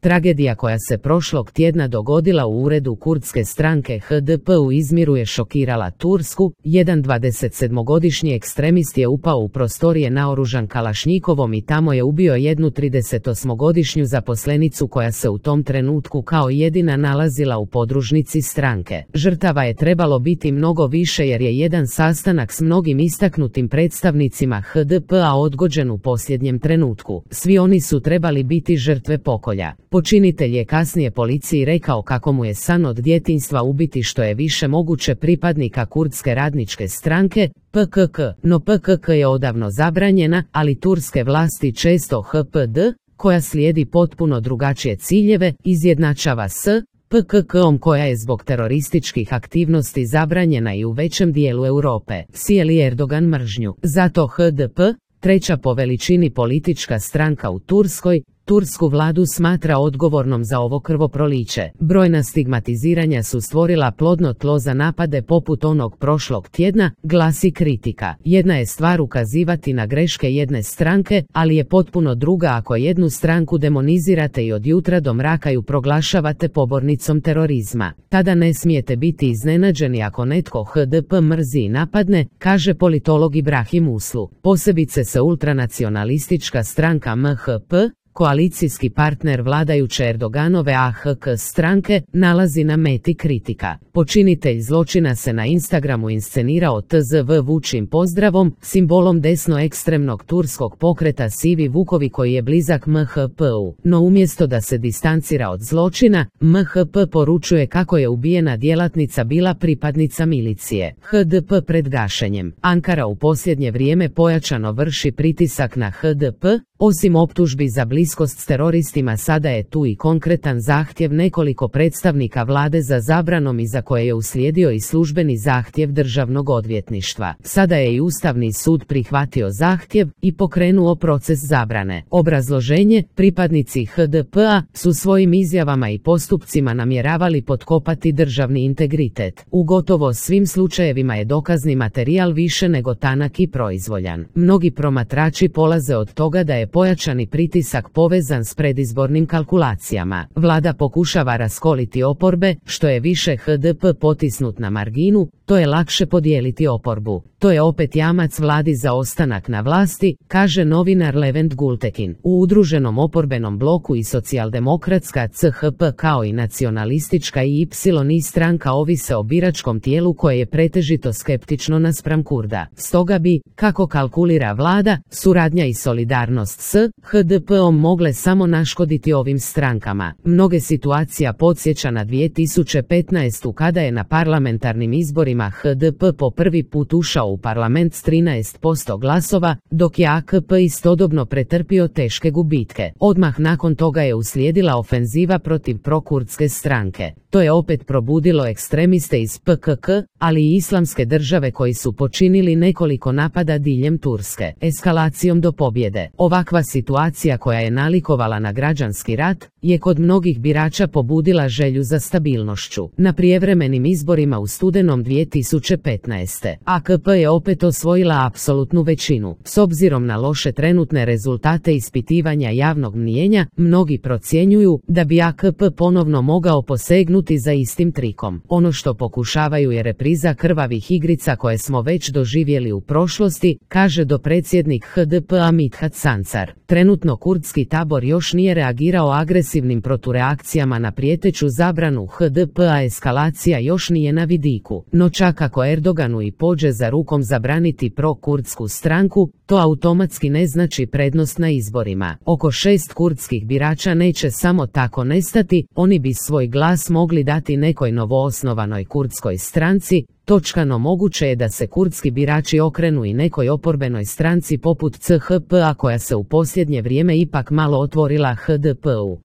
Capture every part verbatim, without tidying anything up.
Tragedija koja se prošlog tjedna dogodila u uredu kurdske stranke H D P u Izmiru je šokirala Tursku. Jedan dvadesetsedmogodišnji ekstremist je upao u prostorije naoružan kalašnjikovom i tamo je ubio jednu tridesetosmogodišnju zaposlenicu koja se u tom trenutku kao jedina nalazila u podružnici stranke. Žrtava je trebalo biti mnogo više jer je jedan sastanak s mnogim istaknutim predstavnicima H D P-a odgođen u posljednjem trenutku. Svi oni su trebali biti žrtve pokolja. Počinitelj je kasnije policiji rekao kako mu je san od djetinjstva ubiti što je više moguće pripadnika kurdske radničke stranke, P K K, no P K K je odavno zabranjena, ali turske vlasti često H P D, koja slijedi potpuno drugačije ciljeve, izjednačava s P K K-om koja je zbog terorističkih aktivnosti zabranjena i u većem dijelu Europe. Sijeli Erdogan mržnju. Zato H D P, treća po veličini politička stranka u Turskoj, tursku vladu smatra odgovornom za ovo krvoproliće. Brojna stigmatiziranja su stvorila plodno tlo za napade poput onog prošlog tjedna, glasi kritika. Jedna je stvar ukazivati na greške jedne stranke, ali je potpuno druga ako jednu stranku demonizirate i od jutra do mraka ju proglašavate pobornicom terorizma. Tada ne smijete biti iznenađeni ako netko H D P mrzi i napadne, kaže politolog Ibrahim Uslu. Posebice se ultranacionalistička stranka M H P, koalicijski partner vladajuće Erdoganove A H K stranke, nalazi na meti kritika. Počinitelj zločina se na Instagramu inscenirao T Z V vučim pozdravom, simbolom desno-ekstremnog turskog pokreta Sivi Vukovi koji je blizak M H P-u. No umjesto da se distancira od zločina, M H P poručuje kako je ubijena djelatnica bila pripadnica milicije. H D P pred gašenjem. Ankara u posljednje vrijeme pojačano vrši pritisak na H D P, osim optužbi za bliskost s teroristima sada je tu i konkretan zahtjev nekoliko predstavnika vlade za zabranom iza koje je uslijedio i službeni zahtjev državnog odvjetništva. Sada je i Ustavni sud prihvatio zahtjev i pokrenuo proces zabrane. Obrazloženje: pripadnici H D P-a su svojim izjavama i postupcima namjeravali potkopati državni integritet. U gotovo svim slučajevima je dokazni materijal više nego tanak i proizvoljan. Mnogi promatrači polaze od toga da je pojačani pritisak povezan s predizbornim kalkulacijama. Vlada pokušava raskoliti oporbe, što je više H D P potisnut na marginu, to je lakše podijeliti oporbu. To je opet jamac vladi za ostanak na vlasti, kaže novinar Levent Gultekin. U udruženom oporbenom bloku i socijaldemokratska C H P kao i nacionalistička I Y stranka ovise o biračkom tijelu koje je pretežito skeptično naspram Kurda. Stoga bi, kako kalkulira vlada, suradnja i solidarnost s H D P-om mogle samo naškoditi ovim strankama. Mnoge situacija podsjeća na dvije tisuće petnaestu kada je na parlamentarnim izborima H D P po prvi put ušao u parlament s trinaest posto glasova, dok je A K P istodobno pretrpio teške gubitke. Odmah nakon toga je uslijedila ofenziva protiv prokurdske stranke. To je opet probudilo ekstremiste iz P K K, ali i islamske države koji su počinili nekoliko napada diljem Turske, eskalacijom do pobjede. Ovakva situacija koja je nalikovala na građanski rat, je kod mnogih birača pobudila želju za stabilnošću. Na prijevremenim izborima u studenom dvije tisuće petnaeste. A K P je opet osvojila apsolutnu većinu. S obzirom na loše trenutne rezultate ispitivanja javnog mnijenja, mnogi procjenjuju da bi A K P ponovno mogao posegnuti za istim trikom. Ono što pokušavaju je repriza krvavih igrica koje smo već doživjeli u prošlosti, kaže dopredsjednik H D P-a Mithat Sancar. Trenutno kurdski tabor još nije reagirao agresivnim protureakcijama na prijeteću zabranu H D P-a, eskalacija još nije na vidiku. No čak ako Erdoganu i pođe za rukom zabraniti pro-kurdsku stranku, to automatski ne znači prednost na izborima. Oko šest kurdskih birača neće samo tako nestati, oni bi svoj glas mogli dati nekoj novoosnovanoj kurdskoj stranci. Točkano moguće je da se kurdski birači okrenu i nekoj oporbenoj stranci poput C H P-a koja se u posljednje vrijeme ipak malo otvorila H D P-u.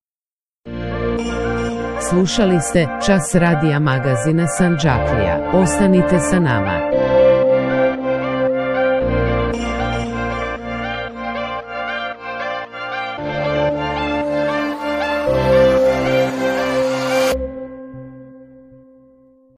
Slušali ste Čas radija magazina Sandžaklija. Ostanite sa nama.